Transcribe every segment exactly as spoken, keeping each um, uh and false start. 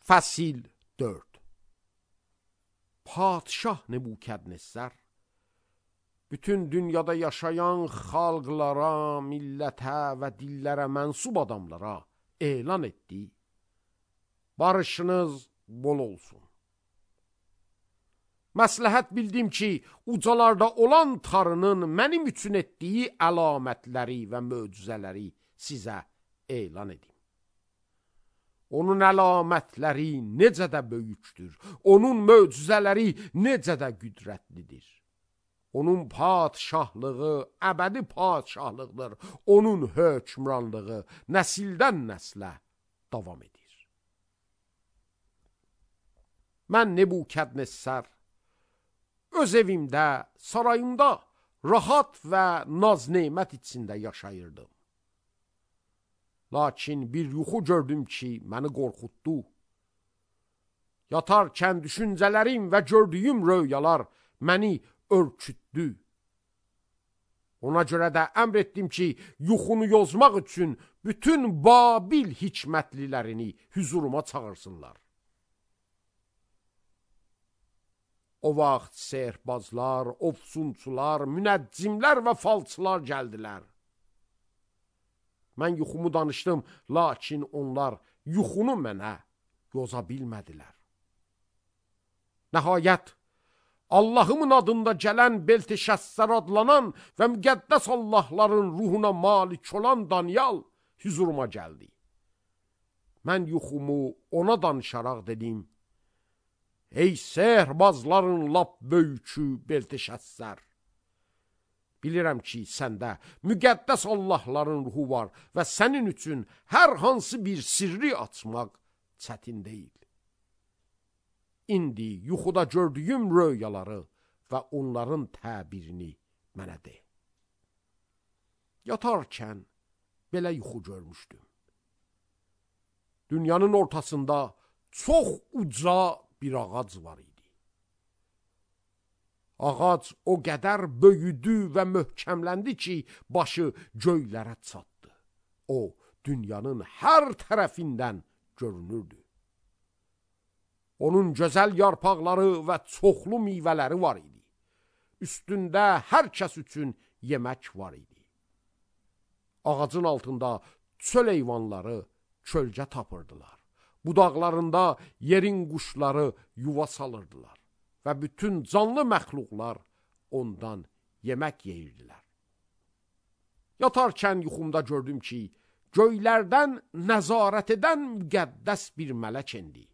Fəsil dörd. Padşah Nebukadnezar bütün dünyada yaşayan xalqlara, millətə və dillərə mənsub adamlara elan etdi: barışınız bol olsun. Məsləhət bildim ki, ucalarda olan Tanrının mənim üçün etdiyi əlamətləri və möcüzələri sizə elan edim. Onun əlamətləri necə də böyükdür, onun möcüzələri necə də qüdrətlidir. Onun padşahlığı əbədi padşahlıqdır, onun hökmranlığı nəsildən nəslə davam edir. Mən Nebukadnezar öz evimdə, sarayımda rahat və naz-nemət içində yaşayırdım. Lakin bir yuxu gördüm ki, məni qorxutdu. Yatarkən düşüncələrim və gördüyüm röyalar məni örkütdü. Ona görə də əmr etdim ki, yuxunu yozmaq üçün bütün Babil hikmətlilərini hüzuruma çağırsınlar. O vaxt sehrbazlar, ofsunçular, münəccimlər və falçılar gəldilər. Mən yuxumu danışdım, lakin onlar yuxunu mənə yoza bilmədilər. Nəhayət, Allahımın adında gələn Belteşəssər adlanan və müqəddəs Allahların ruhuna malik olan Daniel hüzuruma gəldi. Mən yuxumu ona danışaraq dedim: ey sehrbazların lap böyükü Belteşəssər! Bilirəm ki, səndə müqəddəs Allahların ruhu var və sənin üçün hər hansı bir sirri açmaq çətin deyil. İndi yuxuda gördüyüm röyaları və onların təbirini mənə de. Yatarkən belə yuxu görmüşdüm. Dünyanın ortasında çox uca bir ağac var idi. Ağac o qədər böyüdü və möhkəmləndi ki, başı göylərə çatdı. O, dünyanın hər tərəfindən görünürdü. Onun gözəl yarpaqları və çoxlu meyvələri var idi. Üstündə hər kəs üçün yemək var idi. Ağacın altında çöl heyvanları kölgə tapırdılar. Budaqlarında yerin quşları yuva salırdılar və bütün canlı məxluqlar ondan yemək yeyirdilər. Yatarkən yuxumda gördüm ki, göylərdən nəzarət edən müqəddəs bir mələk endi.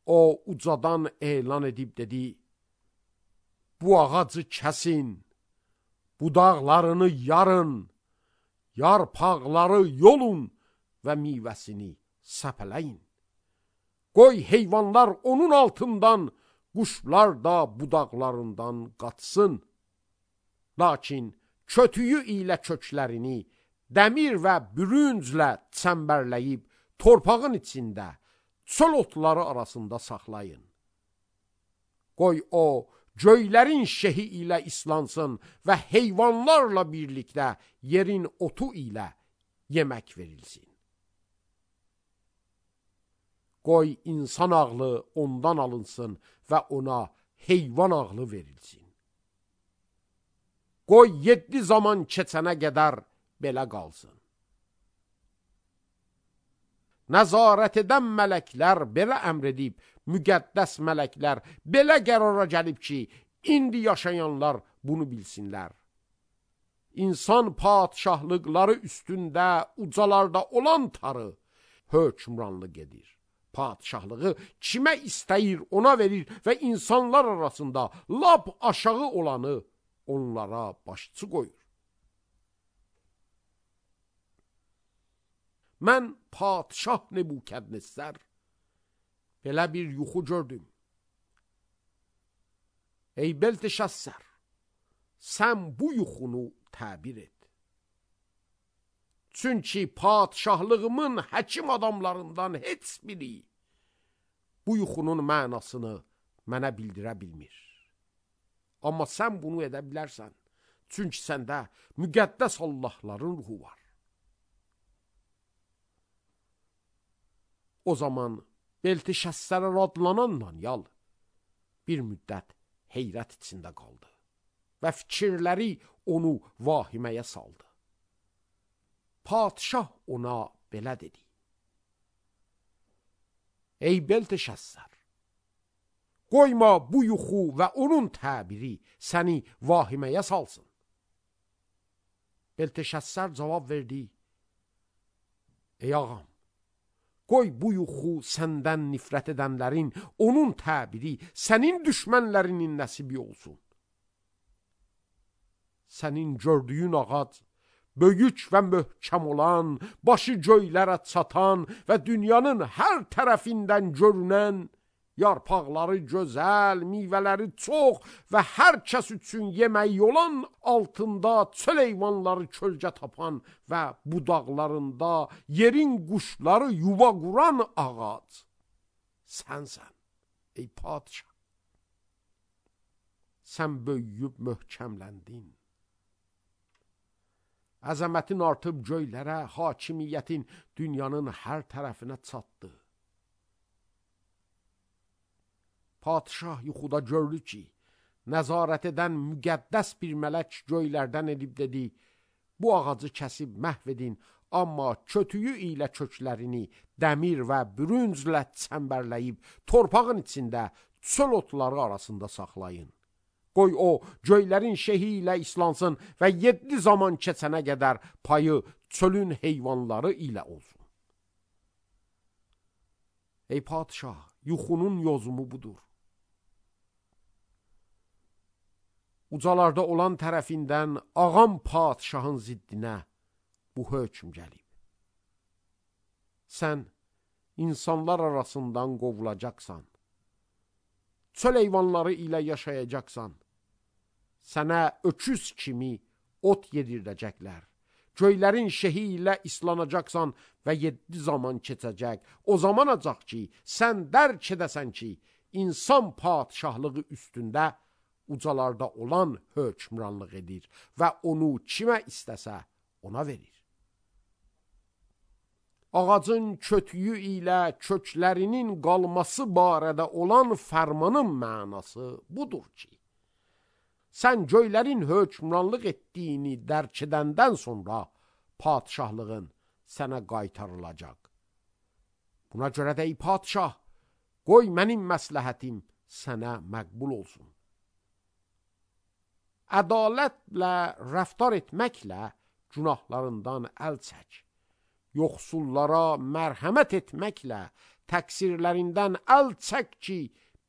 O ucadan elan edib dedi: bu ağacı kəsin, budaqlarını yarın, yarpaqları yolun və meyvəsini səpələyin. Qoy heyvanlar onun altından, quşlar da budaqlarından qaçsın. Lakin kötüyü ilə köklərini dəmir və bürünclə çəmbərləyib torpağın içində, çöl otları arasında saxlayın. Qoy o, göylərin şehi ilə islansın və heyvanlarla birlikdə yerin otu ilə yemək verilsin. Qoy insan ağlı ondan alınsın və ona heyvan ağlı verilsin. Qoy yeddi zaman keçənə qədər belə qalsın. Nəzarət edən mələklər belə əmr edib, müqəddəs mələklər belə qərara gəlib ki, indi yaşayanlar bunu bilsinlər. İnsan padşahlıqları üstündə, ucalarda olan Tanrı hökmranlıq edir. Padşahlığı kimə istəyir ona verir və insanlar arasında lap aşağı olanı onlara başçı qoyur. Mən padşah Nebukadnezar belə bir yuxu gördüm. Ey Belteşəssər, sən bu yuxunu təbir et. Çünki padşahlığımın həkim adamlarından heç biri bu yuxunun mənasını mənə bildirə bilmir. Amma sən bunu edə bilərsən. Çünki səndə müqəddəs Allahların ruhu var. O zaman Beltişəssər adlanan Danyal bir müddət heyrət içində qaldı və fikirləri onu vahiməyə saldı. Padişah ona belə dedi: Ey Beltişəssər, qoyma bu yuxu və onun təbiri səni vahiməyə salsın. Beltişəssər cavab verdi: Ey ağam, qoy bu yuxu səndən nifrət edənlərin, onun təbiri sənin düşmənlərinin nəsibi olsun. Sənin gördüyün ağac, böyük və möhkəm olan, başı göylərə çatan və dünyanın hər tərəfindən görünən, yarpaqları gözəl, meyvələri çox və hər kəs üçün yeməyi olan, altında çöl heyvanları kölgə tapan və budaqlarında yerin quşları yuva quran ağac sənsən, ey padişah. Sən böyüyüb möhkəmləndin. Əzəmətin artıb göylərə, hakimiyyətin dünyanın hər tərəfinə çatdı. Padişah yuxuda gördü ki, nəzarət edən müqəddəs bir mələk göylərdən edib dedi: Bu ağacı kəsib məhv edin, amma kötüyü ilə köklərini dəmir və bürünclə çəmbərləyib torpağın içində çöl otları arasında saxlayın. Qoy o göylərin şehi ilə islansın və yeddi zaman keçənə qədər payı çölün heyvanları ilə olsun. Ey padişah, yuxunun yozumu budur. Ucalarda olan tərəfindən ağam padişahın ziddinə bu hökm gəlib. Sən insanlar arasından qovulacaqsan. Çöl heyvanları ilə yaşayacaqsan. Sənə öküz kimi ot yedirdəcəklər. Göylərin şehi ilə islanacaqsan və yeddi zaman keçəcək. O zaman acaq ki, sən dərk edəsən ki, insan padişahlığı üstündə ucalarda olan hökmranlıq edir və onu kimə istəsə ona verir. Ağacın kötüyü ilə köklərinin qalması barədə olan fərmanın mənası budur ki, sən göylərin hökmranlıq etdiyini dərk edəndən sonra padişahlığın sənə qaytarılacaq. Buna görə də ey padişah, qoy mənim məsləhətim sənə məqbul olsun. Ədalətlə rəftar etməklə günahlarından əl çək. Yoxsullara mərhəmət etməklə təqsirlərindən əl çək ki,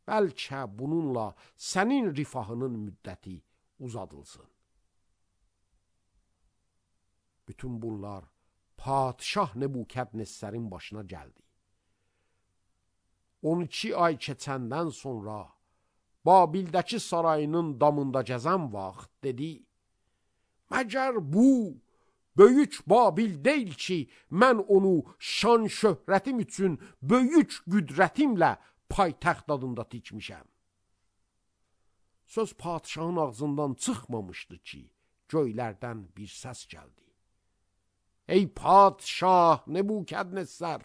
bəlkə bununla sənin rifahının müddəti uzadılsın. Bütün bunlar padişah Nebukadnessərin başına gəldi. on iki ay keçəndən sonra Babildəki sarayının damında gəzən vaxt dedi: Məgər bu böyük Babil deyil ki, mən onu şan şöhrətim üçün böyük qüdrətimlə paytaxt adında tikmişəm. Söz padişahın ağzından çıxmamışdı ki, göylərdən bir səs gəldi. Ey padişah Nebukadnessər,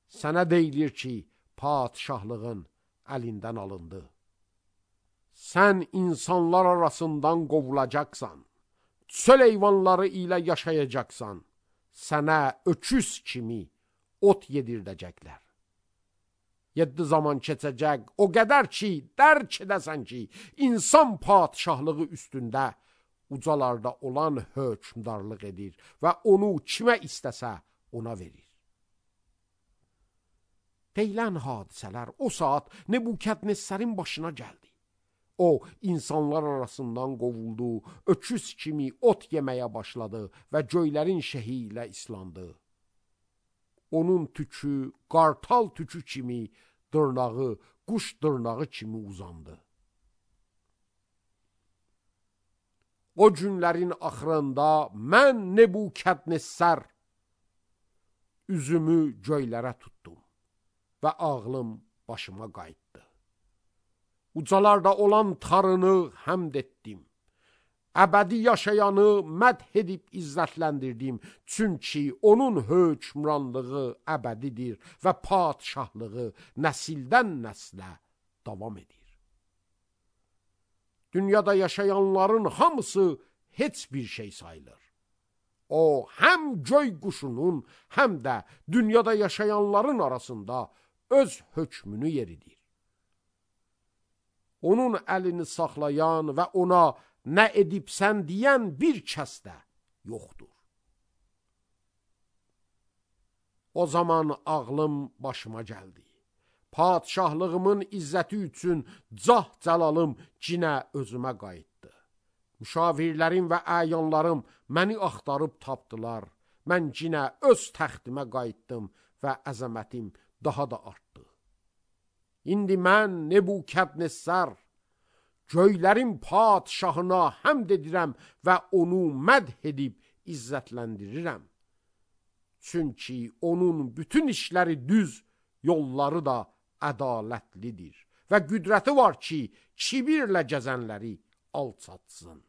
sənə deyilir ki, padişahlığın əlindən alındı. Sən insanlar arasından qovulacaqsan, çöl heyvanları ilə yaşayacaqsan, sənə öküz kimi ot yedirdəcəklər. Yeddi zaman keçəcək, o qədər ki, dərk edəsən ki, insan padişahlığı üstündə ucalarda olan hökmdarlıq edir və onu kimə istəsə ona verir. Deyilən hadisələr o saat Nebukadnessərin başına gəldi. O, insanlar arasından qovuldu, öküz kimi ot yeməyə başladı və göylərin şehi ilə islandı. Onun tükü, qartal tükü kimi, dırnağı, quş dırnağı kimi uzandı. O günlərin axırında mən Nebukadnessər üzümü göylərə tutdum və ağlım başıma qayıtdı. Ucalarda olan Tanrını həmd etdim. Əbədi yaşayanı mədh edib izzətləndirdim. Çünki onun hökmranlığı əbədidir və padişahlığı nəsildən nəslə davam edir. Dünyada yaşayanların hamısı heç bir şey sayılır. O, həm göy quşunun, həm də dünyada yaşayanların arasında öz hökmünü yeridir. Onun əlini saxlayan və ona nə edibsən deyən bir kəs də yoxdur. O zaman ağlım başıma gəldi. Padişahlığımın izzəti üçün cah cəlalım cinə özümə qayıtdı. Müşavirlərim və əyanlarım məni axtarıb tapdılar. Mən cinə öz təxtimə qayıtdım və əzəmətim daha da artdı. İndi mən Nebukadnezar, göylərin padişahına həmd edirəm və onu mədh edib izzətləndirirəm. Çünki onun bütün işləri düz, yolları da ədalətlidir və qüdrəti var ki, kibirlə gəzənləri alçatsın.